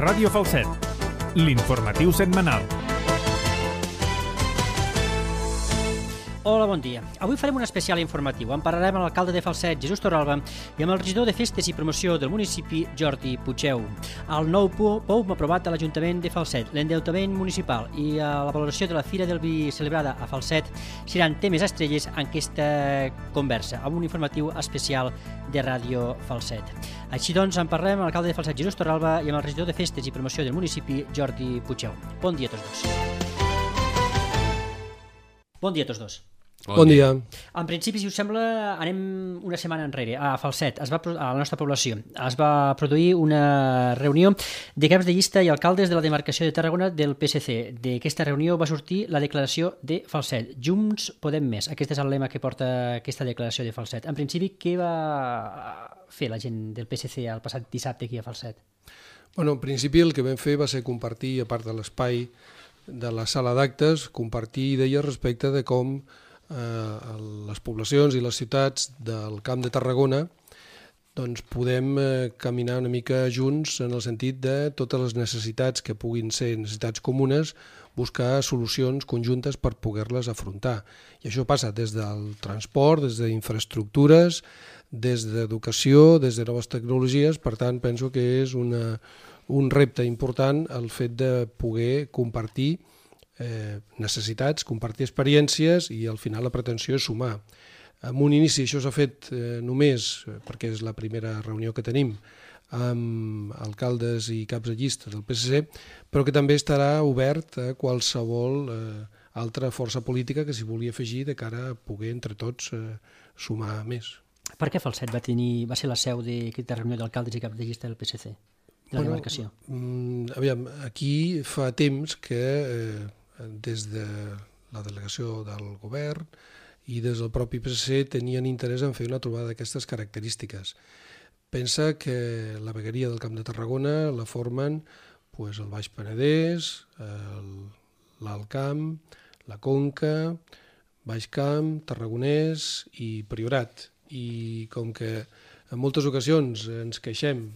Ràdio Falset, l'informatiu setmanal. Hola, bon dia. Avui farem un especial informatiu. En parlarem amb l'alcalde de Falset, Jesús Torralba, i amb el regidor de Festes i Promoció del municipi, Jordi Puigeu. El nou POUM aprovat a l'Ajuntament de Falset, l'endeutament municipal i la valoració de la Fira del Vi celebrada a Falset seran temes estrelles en aquesta conversa, amb un informatiu especial de Ràdio Falset. Així doncs, en parlem amb l'alcalde de Falset, Jesús Torralba, i amb el regidor de Festes i Promoció del municipi, Jordi Puigeu. Bon dia a tots dos. Bon dia a tots dos. Bon dia. En principi, si us sembla, anem una setmana enrere. A Falset, a la nostra població, es va produir una reunió de caps de llista i alcaldes de la demarcació de Tarragona del PSC. D'aquesta reunió va sortir la declaració de Falset. Junts podem més. Aquest és el lema que porta aquesta declaració de Falset. En principi, què va fer la gent del PSC el passat dissabte aquí a Falset? En principi el que vam fer va ser compartir, a part de l'espai de la sala d'actes, compartir idees respecte de com les poblacions i les ciutats del Camp de Tarragona doncs podem caminar una mica junts en el sentit de totes les necessitats que puguin ser necessitats comunes, buscar solucions conjuntes per poder-les afrontar. I això passa des del transport, des d'infraestructures, des d'educació, des de noves tecnologies. Per tant, penso que és un repte important el fet de poder compartir necessitats, compartir experiències i al final la pretensió és sumar. En un inici això s'ha fet només perquè és la primera reunió que tenim amb alcaldes i caps de llista del PSC, però que també estarà obert a qualsevol altra força política que s'hi vulgui afegir de cara a poder entre tots sumar més. Per què Falset va ser la seu d'aquesta reunió d'alcaldes i caps de llista del PSC? De la demarcació? Aviam, aquí fa temps que des de la delegació del govern i des del propi PSC tenien interès en fer una trobada d'aquestes característiques. Pensa que la vegueria del Camp de Tarragona la formen el Baix Penedès, l'Alt Camp, la Conca, Baix Camp, Tarragonès i Priorat. I com que en moltes ocasions ens queixem,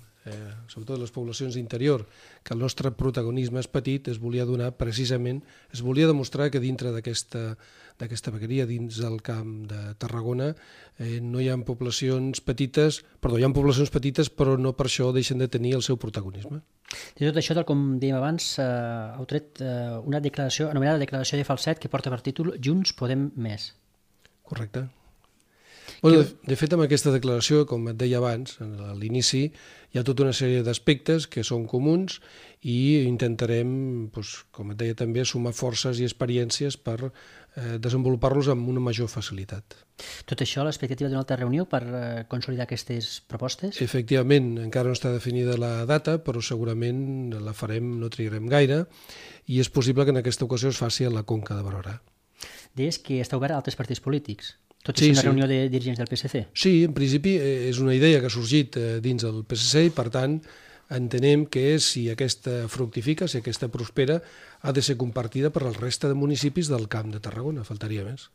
sobretot les poblacions d'interior, que el nostre protagonisme és petit, es volia demostrar que dintre d'aquesta vegueria, dins del Camp de Tarragona, no hi ha poblacions petites, però no per això deixen de tenir el seu protagonisme. De tot això, tal com dèiem abans, heu tret una declaració, anomenada Declaració de Falset, que porta per títol Junts podem més. Correcte. De fet, amb aquesta declaració, com et deia abans, a l'inici, hi ha tota una sèrie d'aspectes que són comuns i intentarem, com et deia també, sumar forces i experiències per desenvolupar-los amb una major facilitat. Tot això, l'expectativa d'una altra reunió per consolidar aquestes propostes? Efectivament, encara no està definida la data, però segurament la farem, no trigarem gaire, i és possible que en aquesta ocasió es faci a la Conca de Barberà. Deies que està obert a altres partits polítics. Tot és una reunió de dirigents del PSC? Sí, en principi és una idea que ha sorgit dins del PSC i, per tant, entenem que si aquesta fructifica, si aquesta prospera, ha de ser compartida per la resta de municipis del Camp de Tarragona, faltaria més.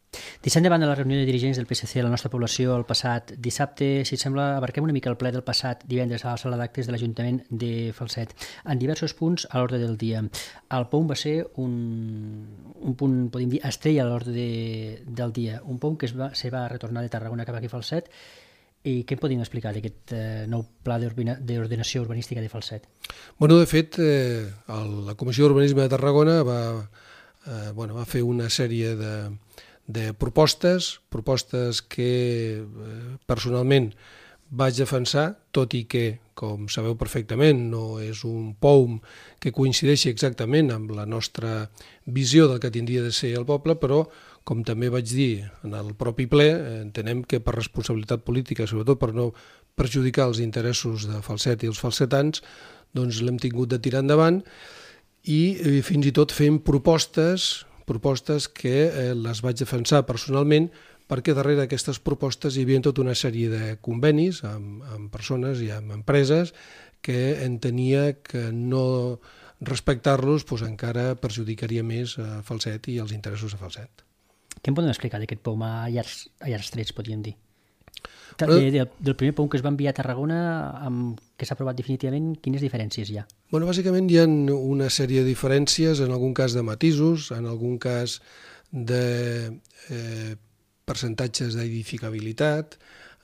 Deixant de banda la reunió de dirigents del PSC a la nostra població el passat dissabte, si et sembla, abarquem una mica el ple del passat divendres a la sala d'actes de l'Ajuntament de Falset. En diversos punts a l'ordre del dia. El POUM va ser un punt, podem dir, estrella a l'ordre del dia. Un POUM que se va retornar de Tarragona cap aquí a Falset. I què en podem explicar d'aquest nou pla d'ordenació urbanística de Falset? De fet, la Comissió d'Urbanisme de Tarragona va fer una sèrie de propostes que personalment vaig defensar, tot i que, com sabeu perfectament, no és un POUM que coincideixi exactament amb la nostra visió del que tindria de ser el poble, però com també vaig dir en el propi ple, entenem que per responsabilitat política, sobretot per no perjudicar els interessos de Falset i els falsetans, doncs l'hem tingut de tirar endavant i fins i tot fem propostes que les vaig defensar personalment perquè darrere d'aquestes propostes hi havia tota una sèrie de convenis amb persones i amb empreses que entenia que no respectar-los encara perjudicaria més a Falset i els interessos de Falset. Què em podem explicar d'aquest POUM a llargs trets, podríem dir? Del primer POUM que es va enviar a Tarragona, que s'ha aprovat definitivament, quines diferències hi ha? Bueno, bàsicament hi ha una sèrie de diferències, en algun cas de matisos, en algun cas de percentatges d'edificabilitat,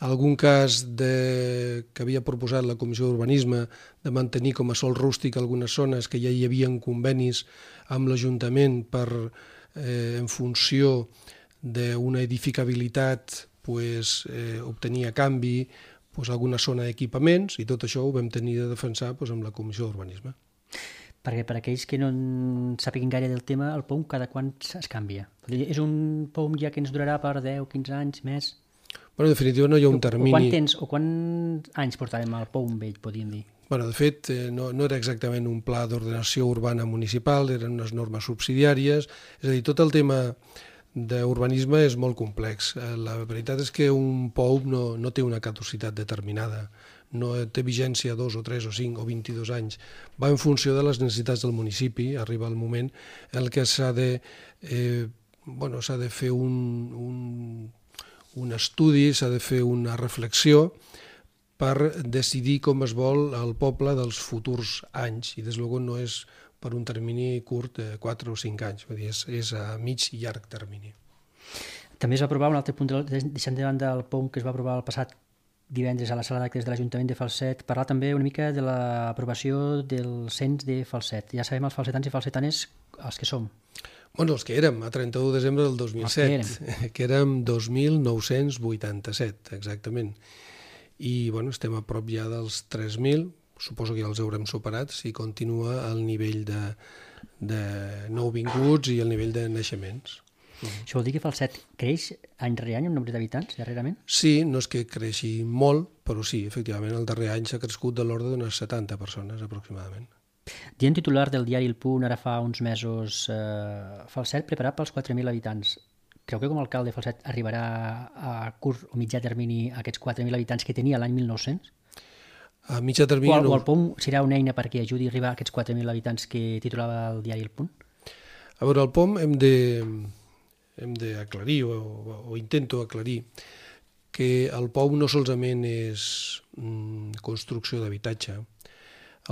algun cas que havia proposat la Comissió d'Urbanisme de mantenir com a sòl rústic algunes zones que ja hi havia convenis amb l'Ajuntament per, en funció d'una edificabilitat, obtenir a canvi alguna zona d'equipaments, i tot això ho vam tenir de defensar amb la Comissió d'Urbanisme. Perquè per aquells que no en sàpiguen gaire del tema, el POUM cada quant es canvia? És un POUM ja que ens durarà per 10, 15 anys, més? Bueno, en definitiva no hi ha un termini... Quants anys portàvem al POUM vell, podríem dir? Bueno, de fet, no era exactament un pla d'ordenació urbana municipal, eren unes normes subsidiàries, és a dir, tot el tema d'urbanisme és molt complex. La veritat és que un POUM no té una caducitat determinada, no té vigència 2 o 3 o 5 o 22 anys, va en funció de les necessitats del municipi, arriba el moment en què s'ha de fer un estudi, s'ha de fer una reflexió per decidir com es vol el poble dels futurs anys, i des de luego no és per un termini curt de 4 o 5 anys, vull dir, és a mig i llarg termini. També es va aprovar un altre punt, deixant de banda el POUM que es va aprovar el passat divendres a la sala d'actes de l'Ajuntament de Falset, parlar també una mica de l'aprovació del cens de Falset. Ja sabem els falsetans i falsetanes els que som. Bueno, els que érem a 31 de desembre del 2007, que érem 2.987, exactament. I bueno, estem a prop ja dels 3.000, suposo que ja els haurem superat si continua el nivell de nouvinguts i el nivell de naixements. Això vol dir que Falset creix any rere any en nombre d'habitants, darrerament? Sí, no és que creixi molt, però sí, efectivament, el darrer any s'ha crescut de l'ordre d'unes 70 persones aproximadament. Dient titular del diari El Punt, ara fa uns mesos, Falset preparat pels 4.000 habitants. Creu que com a alcalde Falset arribarà a curt o mitjà termini a aquests 4.000 habitants que tenia l'any 1900? A mitjà termini o el POUM serà una eina perquè ajudi a arribar a aquests 4.000 habitants que titulava el diari El Punt? A veure, el POUM hem d'aclarir, o intento aclarir, que el POUM no solament és construcció d'habitatge.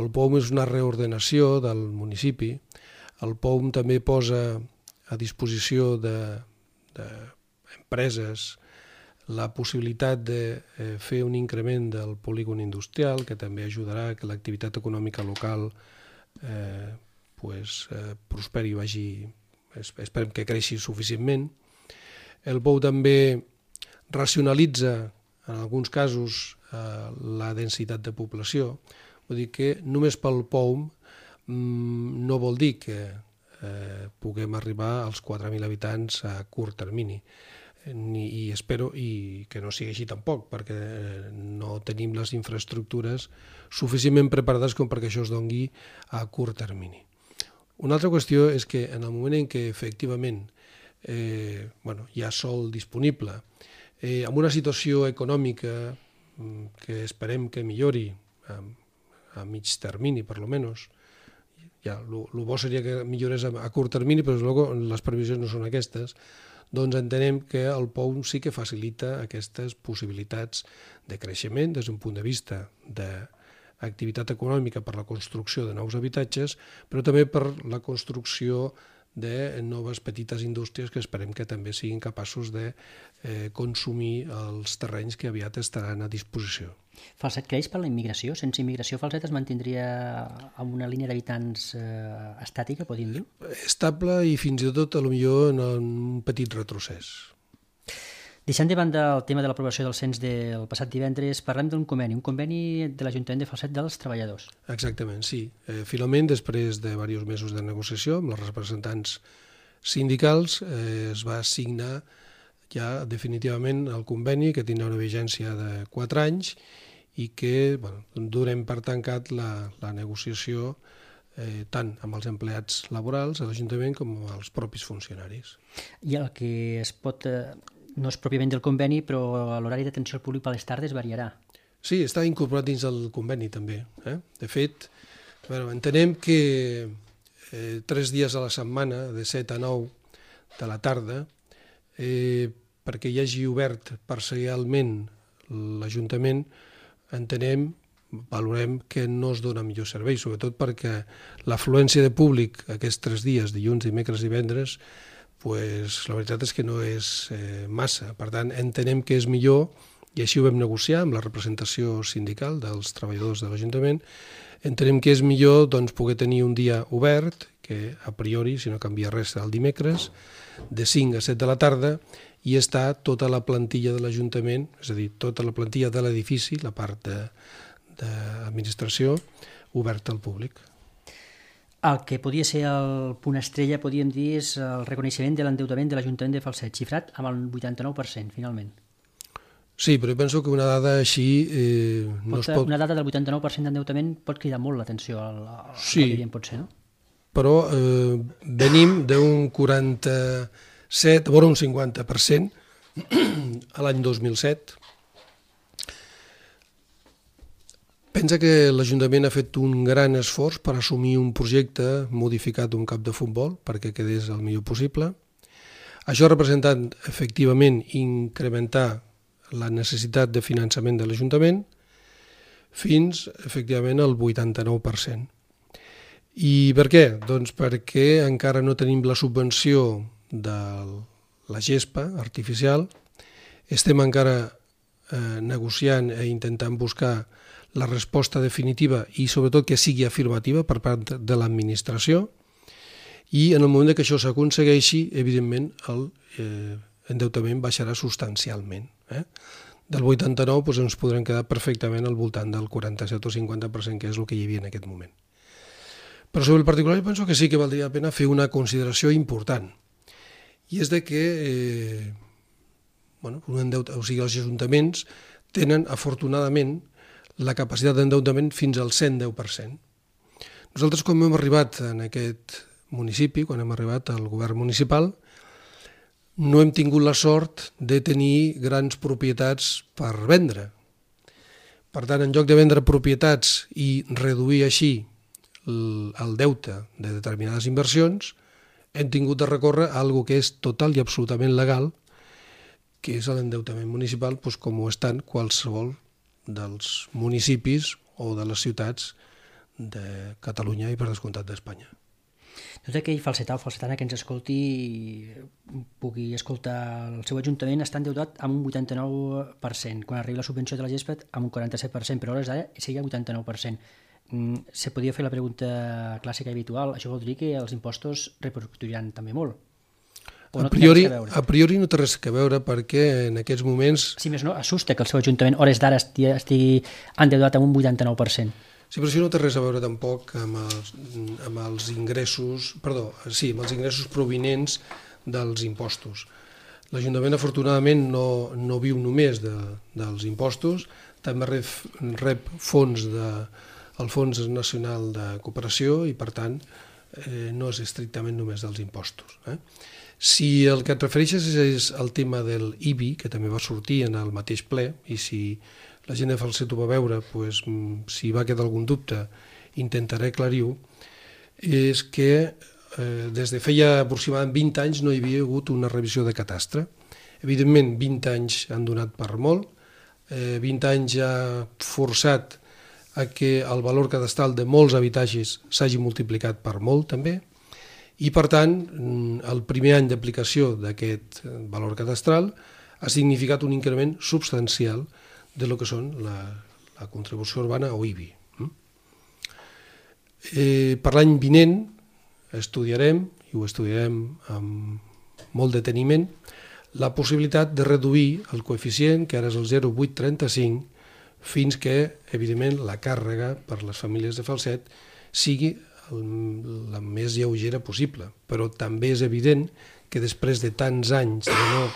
El POUM és una reordenació del municipi. El POUM també posa a disposició d'empreses la possibilitat de fer un increment del polígon industrial, que també ajudarà que l'activitat econòmica local prosperi i vagi, esperem que creixi suficientment. El POUM també racionalitza, en alguns casos, la densitat de població. Vull dir que només pel POUM no vol dir que puguem arribar als 4.000 habitants a curt termini. I espero que no sigui així tampoc, perquè no tenim les infraestructures suficientment preparades com perquè això es doni a curt termini. Una altra qüestió és que en el moment en què efectivament hi ha sòl disponible, amb una situació econòmica que esperem que millori a mig termini, per lo menos, el bo seria que millorés a curt termini, però les previsions no són aquestes, doncs entenem que el POUM sí que facilita aquestes possibilitats de creixement des d'un punt de vista d'activitat econòmica per la construcció de nous habitatges, però també per la construcció de noves petites indústries que esperem que també siguin capaços de consumir els terrenys que aviat estaran a disposició. Falset creix per la immigració? Sense immigració Falset es mantindria amb una línia d'habitants estàtica, podríem dir? Estable i fins i tot potser en un petit retrocés. Deixant de banda el tema de l'aprovació del cens del passat divendres, parlem d'un conveni, un conveni de l'Ajuntament de Falset dels treballadors. Exactament, sí. Finalment, després de diversos mesos de negociació amb els representants sindicals, es va signar ja definitivament el conveni, que tindrà una vigència de 4 anys i que donem per tancat la negociació tant amb els empleats laborals a l'Ajuntament com amb els propis funcionaris. I el que es pot... no és pròpiament del conveni, però l'horari d'atenció al públic per les tardes variarà. Sí, està incorporat dins del conveni també. De fet, entenem que 3 dies a la setmana, de 7 a 9 de la tarda, perquè hi hagi obert parcialment l'Ajuntament entenem, valorem que no es dona millor servei, sobretot perquè l'afluència de públic aquests 3 dies, dilluns, dimecres i divendres, la veritat és que no és massa. Per tant, entenem que és millor, i així ho vam negociar amb la representació sindical dels treballadors de l'Ajuntament, entenem que és millor poder tenir un dia obert, que a priori, si no canvia res, el dimecres, de 5 a 7 de la tarda, i està tota la plantilla de l'Ajuntament, és a dir, tota la plantilla de l'edifici, la part d'administració, oberta al públic. El que podia ser el punt estrella, podríem dir, és el reconeixement de l'endeutament de l'Ajuntament de Falset, xifrat amb el 89%, finalment. Sí, però jo penso que una dada així no es pot... Una dada del 89% d'endeutament pot cridar molt l'atenció al sí, que potser, no? Però venim d'un 47, vora un 50% a l'any 2007. Pensa que l'Ajuntament ha fet un gran esforç per assumir un projecte modificat d'un camp de futbol perquè quedés el millor possible. Això ha representat, efectivament, incrementar la necessitat de finançament de l'Ajuntament fins, efectivament, al 89%. I per què? Doncs perquè encara no tenim la subvenció de la gespa artificial, estem encara negociant i intentant buscar la resposta definitiva i sobretot que sigui afirmativa per part de l'administració, i en el moment que això s'aconsegueixi, evidentment, l'endeutament baixarà substancialment. Del 89 ens podrem quedar perfectament al voltant del 47 o 50%, que és el que hi havia en aquest moment. Però sobre el particular jo penso que sí que valdria la pena fer una consideració important, i és de que els ajuntaments tenen, afortunadament, la capacitat d'endeutament fins al 110%. Nosaltres, quan hem arribat en aquest municipi, quan hem arribat al govern municipal, no hem tingut la sort de tenir grans propietats per vendre. Per tant, en lloc de vendre propietats i reduir així el deute de determinades inversions, hem tingut de recórrer a alguna que és total i absolutament legal, que és l'endeutament municipal, com ho estan qualsevol dels municipis o de les ciutats de Catalunya i, per descomptat, d'Espanya. Tot aquell falsetà o falsetana que ens escolti pugui escoltar el seu ajuntament està endeutat amb un 89%, quan arriba la subvenció de la gespa amb un 47%, però a hores d'ara seria 89%. Se podia fer la pregunta clàssica i habitual, això vol dir que els impostos repercutiran també molt? A priori no té res a veure perquè en aquests moments... Si més no, assusta que el seu ajuntament hores d'ara estigui endeutat amb un 89%. Sí, però això no té res a veure tampoc amb els ingressos, amb els ingressos provinents dels impostos. L'Ajuntament, afortunadament, no viu només dels impostos, també rep fons del Fons Nacional de Cooperació i, per tant, no és estrictament només dels impostos. Si el que et refereixes és el tema del IBI, que també va sortir en el mateix ple, i si la gent de Falset ho va veure, si va quedar algun dubte, intentaré aclarir-ho, és que des de feia aproximadament 20 anys no hi havia hagut una revisió de catastre. Evidentment, 20 anys han donat per molt, 20 anys ha forçat a que el valor cadastral de molts habitatges s'hagi multiplicat per molt també, i per tant el primer any d'aplicació d'aquest valor cadastral ha significat un increment substancial de lo que són la contribució urbana o IBI. Per l'any vinent estudiarem, i ho estudiarem amb molt deteniment, la possibilitat de reduir el coeficient, que ara és el 0,835, fins que, evidentment, la càrrega per les famílies de Falset sigui la més lleugera possible. Però també és evident que després de tants anys de no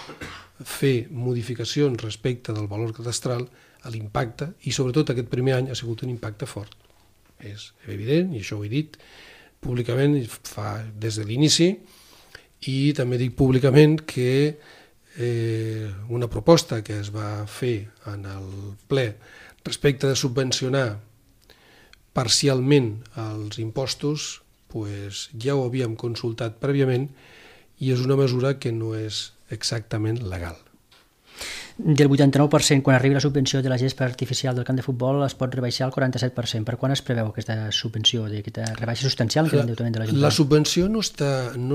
fer modificacions respecte del valor cadastral, l'impacte, i sobretot aquest primer any, ha sigut un impacte fort. És evident, i això ho he dit públicament des de l'inici, i també dic públicament que una proposta que es va fer en el ple respecte de subvencionar parcialment els impostos, ja ho havíem consultat prèviament i és una mesura que no és exactament legal. del 89% quan arribi la subvenció de la gespa artificial del camp de futbol es pot rebaixar al 47%. Per quan es preveu aquesta subvenció, aquesta rebaixa substancial en l'endeutament de l'Ajuntament? La subvenció no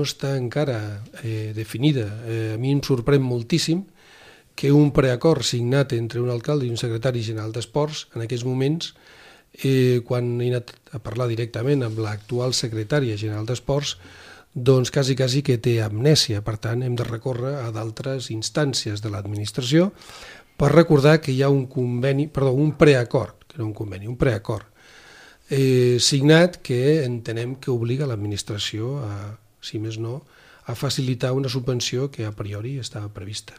està encara definida. A mi em sorprèn moltíssim que un preacord signat entre un alcalde i un secretari general d'Esports, en aquests moments, quan he anat a parlar directament amb l'actual secretària general d'Esports, doncs quasi que té amnèsia. Per tant, hem de recórrer a d'altres instàncies de l'administració per recordar que hi ha un preacord, que no un conveni, un preacord signat que entenem que obliga l'administració a, si més no, a facilitar una subvenció que a priori estava prevista.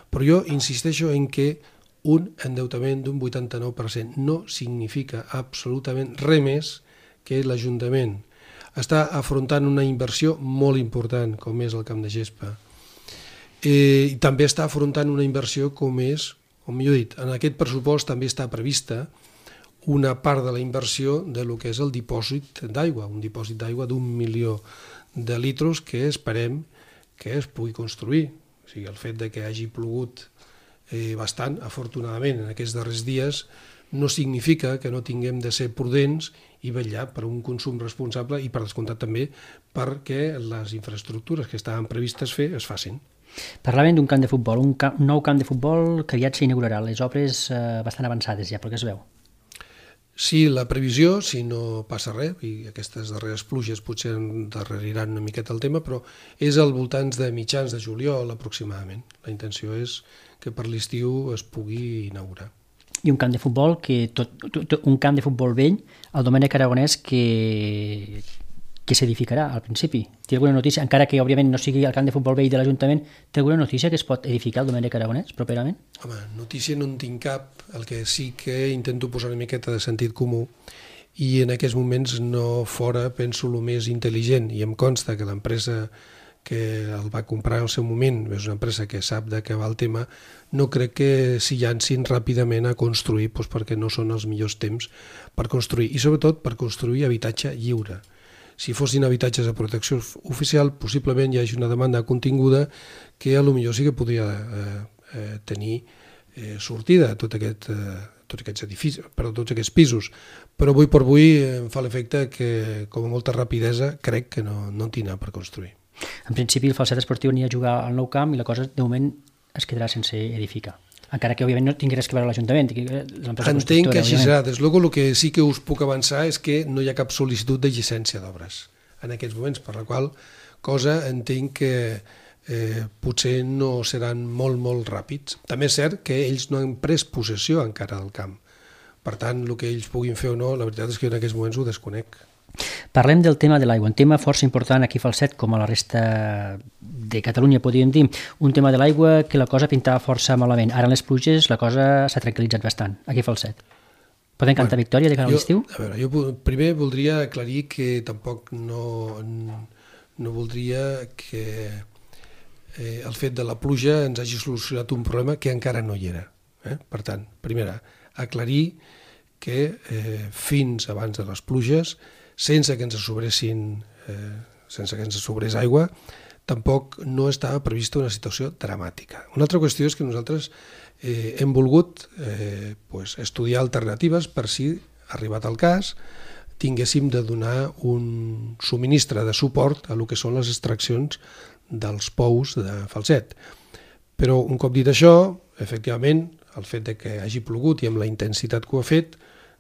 Però jo insisteixo en que un endeutament d'un 89% no significa absolutament res més que l'Ajuntament està afrontant una inversió molt important, com és el camp de gespa. I també està afrontant una inversió com és, o millor dit, en aquest pressupost també està prevista una part de la inversió de lo que és el dipòsit d'aigua, un dipòsit d'aigua d'1 milió de litres que esperem que es pugui construir. O sigui, el fet de que hagi plogut bastant, afortunadament, en aquests darrers dies, no significa que no tinguem de ser prudents i vetllar per un consum responsable i, per descomptat, també perquè les infraestructures que estaven previstes fer es facin. Parlaven d'un camp de futbol, un nou camp de futbol que aviat s'inaugurarà, les obres bastant avançades ja, pel que es veu. Sí, la previsió, si no passa res, i aquestes darreres pluges potser endarreriran una miqueta el tema, però és al voltant de mitjans de juliol aproximadament. La intenció és que per l'estiu es pugui inaugurar. I un camp de futbol un camp de futbol vell, el Domènec Aragonès, que s'edificarà al principi. Té alguna notícia, encara que òbviament no sigui el camp de futbol vell de l'Ajuntament, té alguna notícia que es pot edificar el Domènec Aragonès properament? Home, notícia no en tinc cap, el que sí que intento posar una miqueta de sentit comú i en aquests moments no fora penso el més intel·ligent i em consta que l'empresa que el va comprar en el seu moment, és una empresa que sap de què va el tema, no crec que s'hi llancin ràpidament a construir perquè no són els millors temps per construir i sobretot per construir habitatge lliure. Si fossin habitatges de protecció oficial, possiblement hi hagi una demanda continguda que potser sí que podria tenir sortida a tots aquests edificis, tots aquests pisos. Però avui per avui em fa l'efecte que, com a molta rapidesa, crec que no en tindrà per construir. En principi, el Falset Esportiu anirà a jugar al Nou Camp i la cosa, de moment, es quedarà sense edificar. Encara que, òbviament, no tingui res que veure l'Ajuntament. Entenc que així serà. Des luego, el que sí que us puc avançar és que no hi ha cap sol·licitud de llicència d'obres en aquests moments, per la qual cosa entenc que potser no seran molt ràpids. També és cert que ells no han pres possessió encara del camp. Per tant, el que ells puguin fer o no, la veritat és que jo en aquests moments ho desconec. Parlem del tema de l'aigua, un tema força important aquí a Falset, com a la resta de Catalunya, podríem dir. Un tema de l'aigua que la cosa pintava força malament. Ara en les pluges la cosa s'ha tranquil·litzat bastant, aquí a Falset. Podem cantar victòria de cara a l'estiu? A veure, jo primer voldria aclarir que tampoc no voldria que el fet de la pluja ens hagi solucionat un problema que encara no hi era. Per tant, primera, aclarir que fins abans de les pluges, sense que ens sobrés aigua, tampoc no estava prevista una situació dramàtica. Una altra qüestió és que nosaltres hem volgut estudiar alternatives per si, arribat el cas, tinguéssim de donar un subministre de suport a el que són les extraccions dels pous de Falset. Però un cop dit això, efectivament, el fet de que hagi plogut i amb la intensitat que ho ha fet,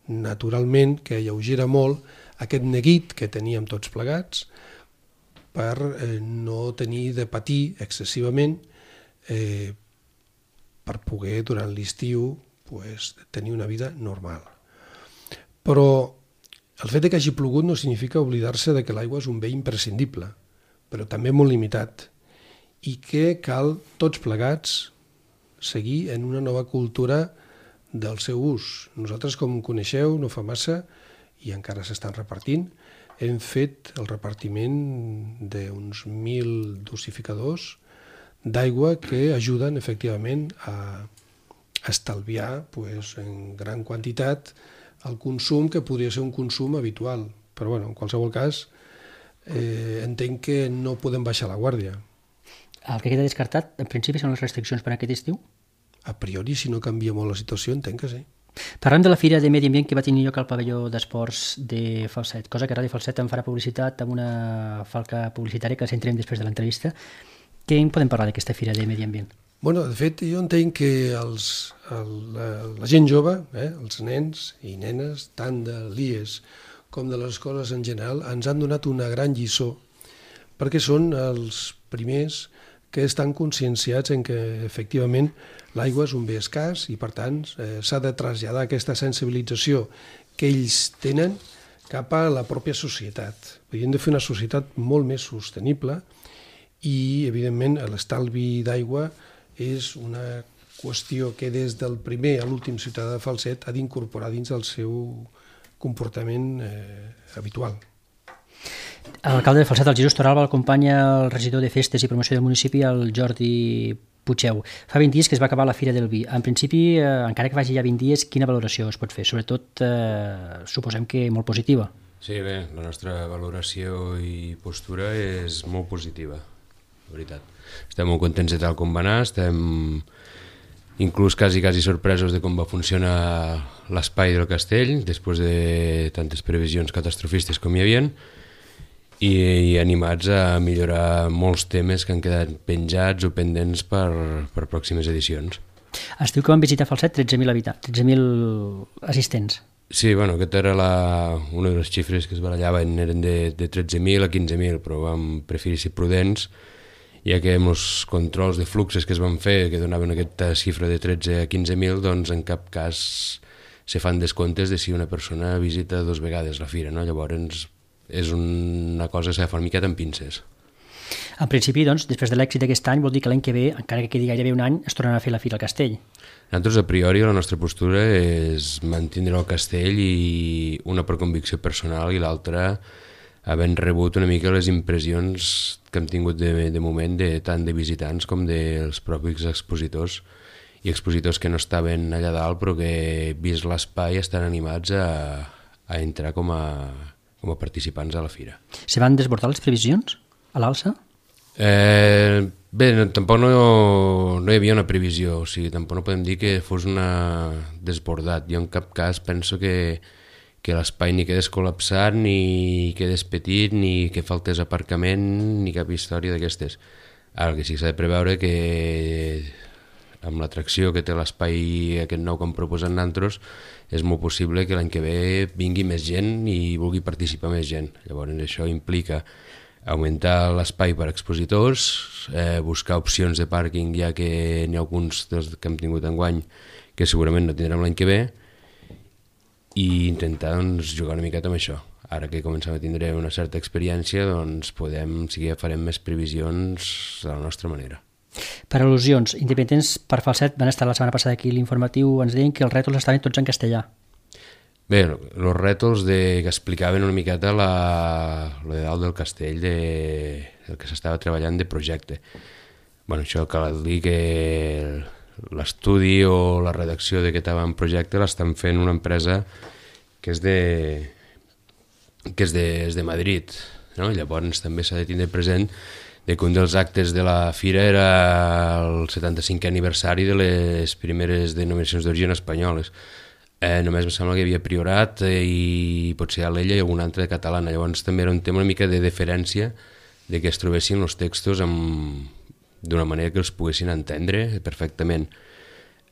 naturalment que alleugera molt aquest neguit que teníem tots plegats per no tenir de patir excessivament per poder durant l'estiu tenir una vida normal. Però el fet que hagi plogut no significa oblidar-se de que l'aigua és un bé imprescindible, però també molt limitat, i que cal tots plegats seguir en una nova cultura del seu ús. Nosaltres, com coneixeu, no fa massa, i encara s'estan repartint, hem fet el repartiment d'uns 1.000 dosificadors d'aigua que ajuden efectivament a estalviar en gran quantitat el consum que podria ser un consum habitual. Però en qualsevol cas entenc que no podem baixar la guàrdia. El que queda descartat, en principi, són les restriccions per a aquest estiu? a priori, si no canvia molt la situació, entenc que sí. Parlem de la Fira de Medi Ambient que va tenir lloc al pavelló d'esports de Falset, cosa que Ràdio Falset en farà publicitat amb una falca publicitària que sentirem després de l'entrevista. Què en podem parlar d'aquesta Fira de Medi Ambient? Bueno, de fet, jo entenc que la gent jove, els nens i nenes, tant de l'IES com de les escoles en general, ens han donat una gran lliçó, perquè són els primers que estan conscienciats en que, efectivament, l'aigua és un bé escàs i, per tant, s'ha de traslladar aquesta sensibilització que ells tenen cap a la pròpia societat. Hem de fer una societat molt més sostenible i, evidentment, l'estalvi d'aigua és una qüestió que des del primer a l'últim ciutadà de Falset ha d'incorporar dins del seu comportament habitual. L'alcalde de Falset, el Jesús Torralba, l'acompanya el regidor de Festes i Promoció del municipi, el Jordi Puigdeu. Fa 20 dies que es va acabar la Fira del Vi. En principi, encara que vagi ja 20 dies, quina valoració es pot fer? Sobretot, suposem que molt positiva. Sí, bé, la nostra valoració i postura és molt positiva, la veritat. Estem molt contents de tal com va anar, estem inclús quasi sorpresos de com va funcionar l'espai del castell, després de tantes previsions catastrofistes com hi havia, i animats a millorar molts temes que han quedat penjats o pendents per pròximes edicions. Es diu que van visitar Falset 13.000 assistents. Sí, bueno, aquesta era una de les xifres que es barallaven, eren de 13.000 a 15.000, però vam preferir ser prudents, ja que amb els controls de fluxes que es van fer, que donaven aquesta xifra de 13 a 15.000, doncs en cap cas se fan descomptes de si una persona visita 2 vegades la fira, no? Llavors és una cosa que s'ha de fer una miqueta amb pinces. En principi, doncs, després de l'èxit d'aquest any, vol dir que l'any que ve, encara que quedi gairebé un any, es tornarà a fer la Fira al Castell. Nosaltres, a priori, la nostra postura és mantenir el castell, i una per convicció personal i l'altra havent rebut una mica les impressions que hem tingut de moment, tant de visitants com dels propis expositors, i expositors que no estaven allà dalt però que, vist l'espai, estan animats a entrar com a participants a la fira. Se van desbordar les previsions a l'alça? Bé, tampoc no hi havia una previsió, o sigui, tampoc no podem dir que fos una desbordat. Jo en cap cas penso que l'espai ni quedés col·lapsat, ni quedés petit, ni que faltés aparcament, ni cap història d'aquestes. Ara, el que sí que s'ha de preveure que amb l'atracció que té l'espai aquest nou que hem proposat nosaltres, és molt possible que l'any que ve vingui més gent i vulgui participar més gent. Llavors això implica augmentar l'espai per expositors, buscar opcions de pàrquing, ja que n'hi ha alguns dels que hem tingut enguany que segurament no tindrem l'any que ve, i intentar jugar una miqueta amb això. Ara que comencem a tindre una certa experiència, doncs farem més previsions de la nostra manera. Per al·lusions, Independents per Falset van estar la setmana passada aquí a l'informatiu, ens deien que els rètols estaven tots en castellà. Bé, els rètols que explicaven una miqueta lo de dalt del castell, el que s'estava treballant de projecte. Bueno, això cal dir que l'estudi o la redacció d'aquest avantprojecte l'estan fent una empresa que és de Madrid, no? Llavors també s'ha de tindre present que un dels actes de la fira era el 75è aniversari de les primeres denominacions d'origen espanyoles. Només em sembla que hi havia Priorat i potser Alella i alguna altra catalana. Llavors també era un tema una mica de deferència, de que es trobessin els textos d'una manera que els poguessin entendre perfectament.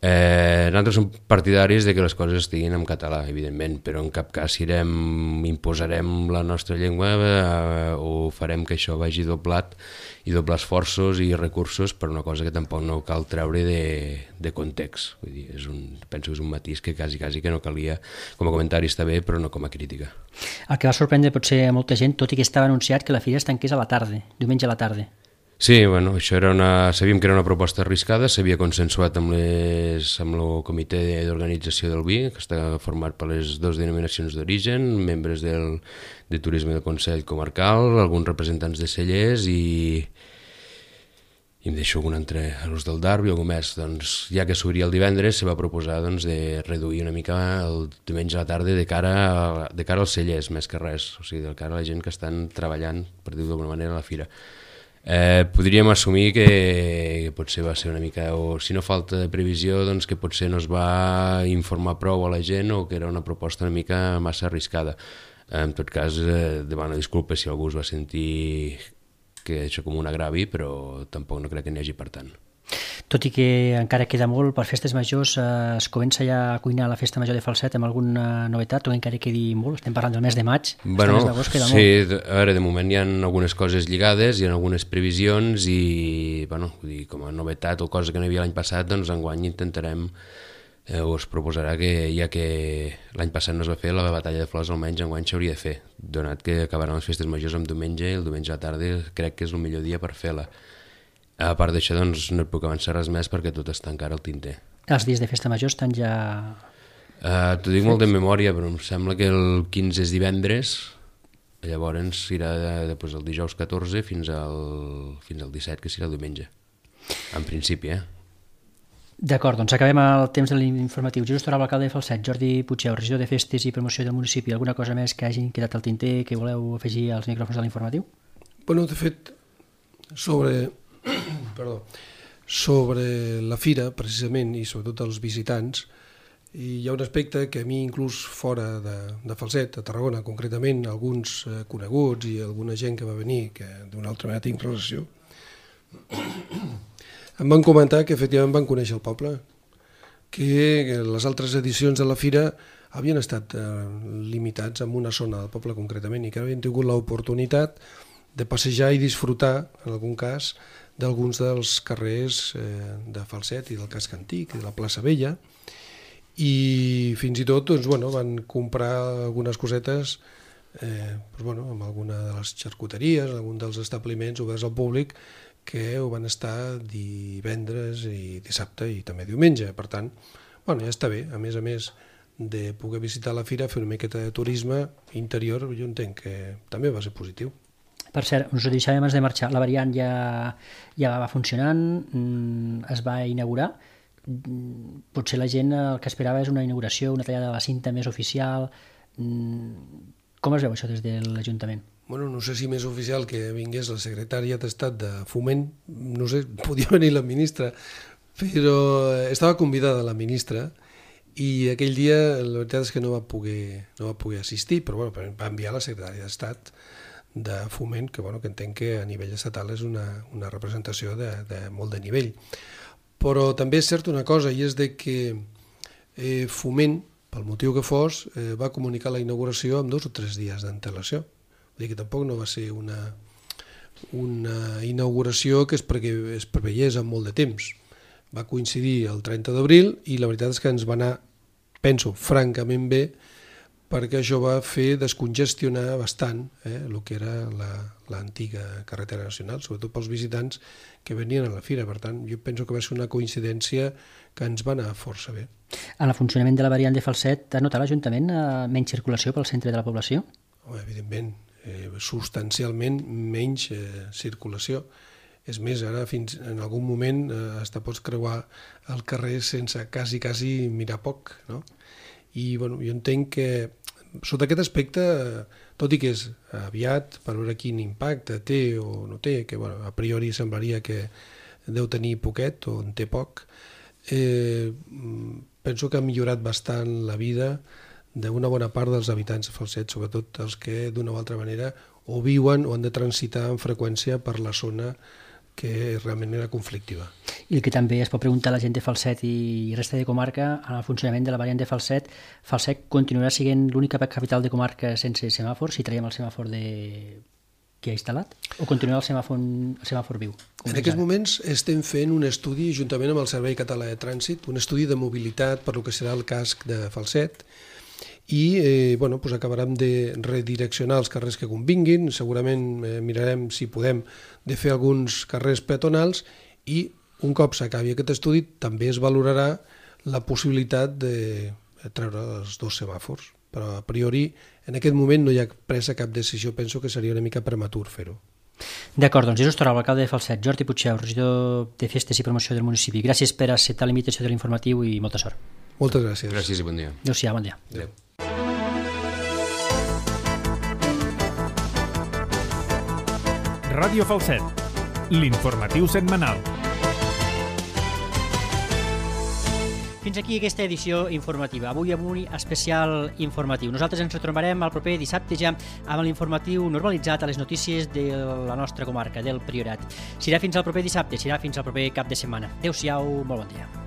Nosaltres som partidaris de que les coses estiguin en català, evidentment, però en cap cas imposarem la nostra llengua o farem que això vagi doblat i doblar esforços i recursos per una cosa que tampoc no cal treure de context. Vull dir, penso que és un matís que quasi que no calia. Com a comentari està bé, però no com a crítica. El que va sorprendre potser a molta gent, tot i que estava anunciat que la fira es tanqués a la tarda, diumenge a la tarda. Sí, bueno, això sabíem que era una proposta arriscada, s'havia consensuat amb el comitè d'organització del vi, que està format per les 2 denominacions d'origen, membres de turisme del Consell Comarcal, alguns representants de cellers i em deixo algun altre, els del Darby o algú més. Doncs, ja que s'obria el divendres, se va proposar de reduir una mica el diumenge a la tarda de cara als cellers, més que res, o sigui, de cara a la gent que estan treballant, per dir-ho d'alguna manera, a la fira. Podríem assumir que potser va ser una mica, o si no falta de previsió, doncs que potser no es va informar prou a la gent o que era una proposta una mica massa arriscada. En tot cas, demano disculpes si algú es va sentir que això com un agravi, però tampoc no crec que n'hi hagi per tant. Tot i que encara queda molt per festes majors, es comença ja a cuinar la festa major de Falset amb alguna novetat o encara quedi molt? Estem parlant del mes de maig, bueno, mes d'agost queda sí, molt. A veure, de moment hi ha algunes coses lligades, hi ha algunes previsions i, bueno, com a novetat o cosa que no hi havia l'any passat, doncs enguany intentarem o es proposarà que, ja que l'any passat no es va fer la batalla de flors, almenys enguany s'hauria de fer, donat que acabaran les festes majors amb diumenge i el diumenge a la tarda crec que és el millor dia per fer-la. A part d'això, doncs, no et puc avançar res més perquè tot està encara al tinter. Els dies de festa major estan ja... T'ho dic molt de memòria, però em sembla que el 15 és divendres, llavors irà després el dijous 14 fins al 17, que serà el diumenge. En principi, D'acord, doncs acabem el temps de l'informatiu. Jesús Torralba, alcalde de Falset, Jordi Puigdeu, regidor de Festes i Promoció del municipi. Alguna cosa més que hagin quedat al tinter que voleu afegir als micròfons de l'informatiu? Bueno, de fet, sobre la fira, precisament, i sobretot els visitants, hi ha un aspecte que a mi, inclús fora de Falset, a Tarragona, concretament, alguns coneguts i alguna gent que va venir, que d'una altra manera tinc relació, em van comentar que efectivament van conèixer el poble, que les altres edicions de la fira havien estat limitats en una zona del poble concretament i que havien tingut l'oportunitat de passejar i disfrutar, en algun cas, d'alguns dels carrers de Falset i del casc antic i de la plaça Vella, i fins i tot doncs, bueno, van comprar algunes cosetes amb alguna de les xarcuteries, algun dels establiments oberts al públic que ho van estar divendres i dissabte i també diumenge. Per tant, ja està bé. A més de poder visitar la fira, fer una miqueta de turisme interior, jo entenc que també va ser positiu. Per cert, us ho deixàvem abans de marxar, la variant ja va funcionant, es va inaugurar. Potser la gent el que esperava és una inauguració, una tallada de la cinta més oficial. Com es veu això des de l'Ajuntament? Bueno, no sé si més oficial que vingués la secretària d'Estat de Foment, no sé, podia venir la ministra, però estava convidada la ministra i aquell dia la veritat és que no va poder assistir, però va enviar la secretària d'Estat de Foment, que entenc que a nivell estatal és una representació de molt de nivell. Però també és cert una cosa, i és de que Foment, pel motiu que fos, va comunicar la inauguració amb 2 o 3 dies d'antelació. Vull dir que tampoc no va ser una inauguració que es preveiés amb molt de temps. Va coincidir el 30 d'abril i la veritat és que ens va anar, penso, francament bé, perquè això va fer descongestionar bastant el que era l'antiga carretera nacional, sobretot pels visitants que venien a la fira. Per tant, jo penso que va ser una coincidència que ens va anar força bé. En el funcionament de la variant de Falset, ha notat l'Ajuntament menys circulació pel centre de la població? Evidentment, substancialment menys circulació. És més, ara fins en algun moment hasta pots creuar el carrer sense quasi mirar poc, no? I jo entenc que sota aquest aspecte, tot i que és aviat per veure quin impacte té o no té, que a priori semblaria que deu tenir poquet o en té poc, penso que ha millorat bastant la vida d'una bona part dels habitants de Falset, sobretot els que d'una o altra manera o viuen o han de transitar amb freqüència per la zona que realment era conflictiva. I el que també es pot preguntar a la gent de Falset i resta de comarca, en el funcionament de la variant de Falset, Falset continuarà sent l'única capital de comarca sense semàfor, si traiem el semàfor que ha instal·lat, o continuarà el semàfor viu? En aquests moments estem fent un estudi, juntament amb el Servei Català de Trànsit, un estudi de mobilitat per lo que serà el casc de Falset, i acabarem de redireccionar els carrers que convinguin, segurament mirarem si podem de fer alguns carrers peatonals i un cop s'acabi aquest estudi també es valorarà la possibilitat de treure els 2 semàfors, però a priori en aquest moment no hi ha presa cap decisió, penso que seria una mica prematur fer-ho. D'acord, doncs Jesús Torralba, alcalde de Falset, Jordi Puigdeu, regidor de Festes i Promoció del municipi, gràcies per acceptar la invitació de l'informatiu i molta sort. Moltes gràcies. Gràcies i bon dia. Adéu-siau, bon dia. Adéu. Ràdio Falset, l'informatiu setmanal. Fins aquí aquesta edició informativa. Avui amb un especial informatiu. Nosaltres ens retrobarem el proper dissabte ja amb l'informatiu normalitzat a les notícies de la nostra comarca, del Priorat. Serà fins al proper dissabte, serà fins al proper cap de setmana. Adéu-siau, molt bon dia.